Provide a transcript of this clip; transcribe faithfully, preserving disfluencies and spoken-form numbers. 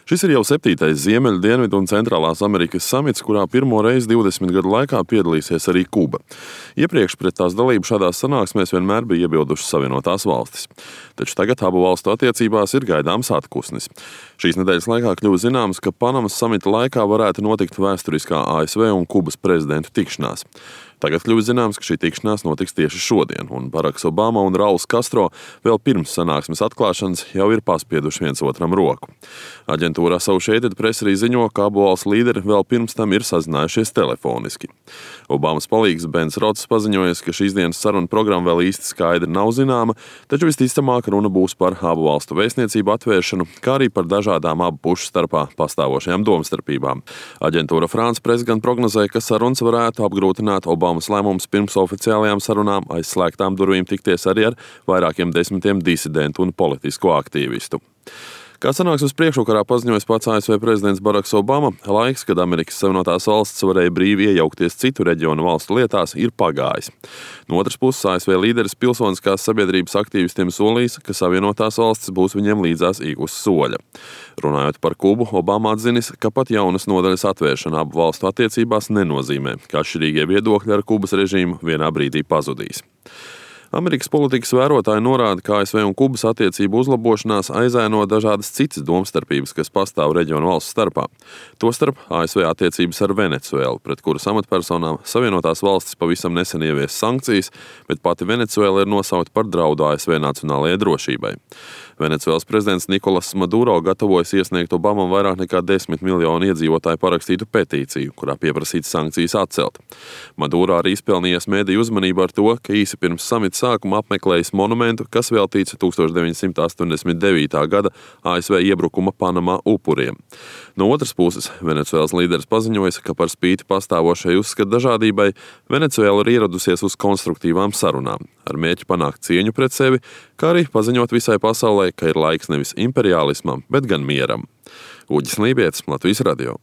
Šis ir jau septītais Ziemeļu, Dienvidu un Centrālās Amerikas samits, kurā pirmo reizi divdesmit gadu laikā piedalīsies arī Kuba. Iepriekš pret tās dalību šādās sanāksmēs vienmēr bija iebildušas Savienotās valstis. Taču tagad abu valstu attiecībās ir gaidāms atpūsnis. Šīs nedēļas laikā kļuva zināms, ka Panamas samita laikā varētu notikt vēsturiskā A S V un Kubas prezidentu tikšanās. Tagad kļuva zināms, ka šī tikšanās notiks tieši šodien, un Baraks Obama un Rauls Castro vēl pirms sanāksmes atklāšanas jau ir paspieduši viens otram roku. Aģentūra Associated Press arī ziņo, ka abu valstu līderi vēl pirms tam ir sazinājušies telefoniski. Obamas palīgs Bens Rods paziņoja, ka šīs dienas saruna programma vēl īsti skaidri nav zināma, taču visticamāk runa būs par abu valstu vēstniecību atvēršanu, kā arī par dažādām abu pušu starpā pastāvošajām domstarpībām. Aģentūra France Press gan prognozēja, ka sarunas varētu apgrūtināt Obamas lēmums pirms oficiālajām sarunām aiz slēgtām durvīm tikties arī ar vairākiem desmitiem disidentu un politisko aktīvistu. Kā sanāksmes priekšvakarā paziņoja pats A S V prezidents Baraks Obama, laiks, kad Amerikas Savienotās valstis varēja brīvi iejaukties citu reģionu valstu lietās, ir pagājis. No otras puses, A S V līderis pilsoniskās sabiedrības aktīvistiem solījis, ka Savienotās valstis būs viņiem līdzās ik uz soļa. Runājot par Kubu, Obama atzinis, ka pat jaunas nodaļas atvēršana abu valstu attiecībās nenozīmē, ka atšķirīgie viedokļi ar Kubas režīmu vienā brīdī pazudīs. Amerikas politikas vērotāji norāda, ka A S V un Kubas attiecību uzlabošanās aizēno dažādas citas domstarpības, kas pastāv reģionu valstu starpā. Tostarp A S V attiecības ar Venecuēlu, pret kuras amatpersonām Savienotās valstis pavisam nesen ievies sankcijas, bet pati Venecuēla ir nosaukta par draudu A S V nacionālajai drošībai. Venecuēlas prezidents Nikolas Maduro gatavojas iesniegt Obamam vairāk nekā desmit miljonu iedzīvotāju parakstītu petīciju, kurā pieprasīts sankcijas atcelt. Maduro arī izpelnījies mediju uzmanību ar to, ka īsi pirms samita sākuma apmeklējis monumentu, kas veltīts tūkstoš deviņsimt astoņdesmit devītā gada A S V iebrukuma Panamā upuriem. No otras puses, Venecuēlas līderis paziņoja, ka par spīti pastāvošai uzskatu dažādībai, Venecuēla ir ieradusies uz konstruktīvām sarunām, ar mērķi panākt cieņu pret sevi, kā arī paziņot visai pasaulē, ka ir laiks nevis imperiālismam, bet gan mieram. Uģis Lībietis, Latvijas radio.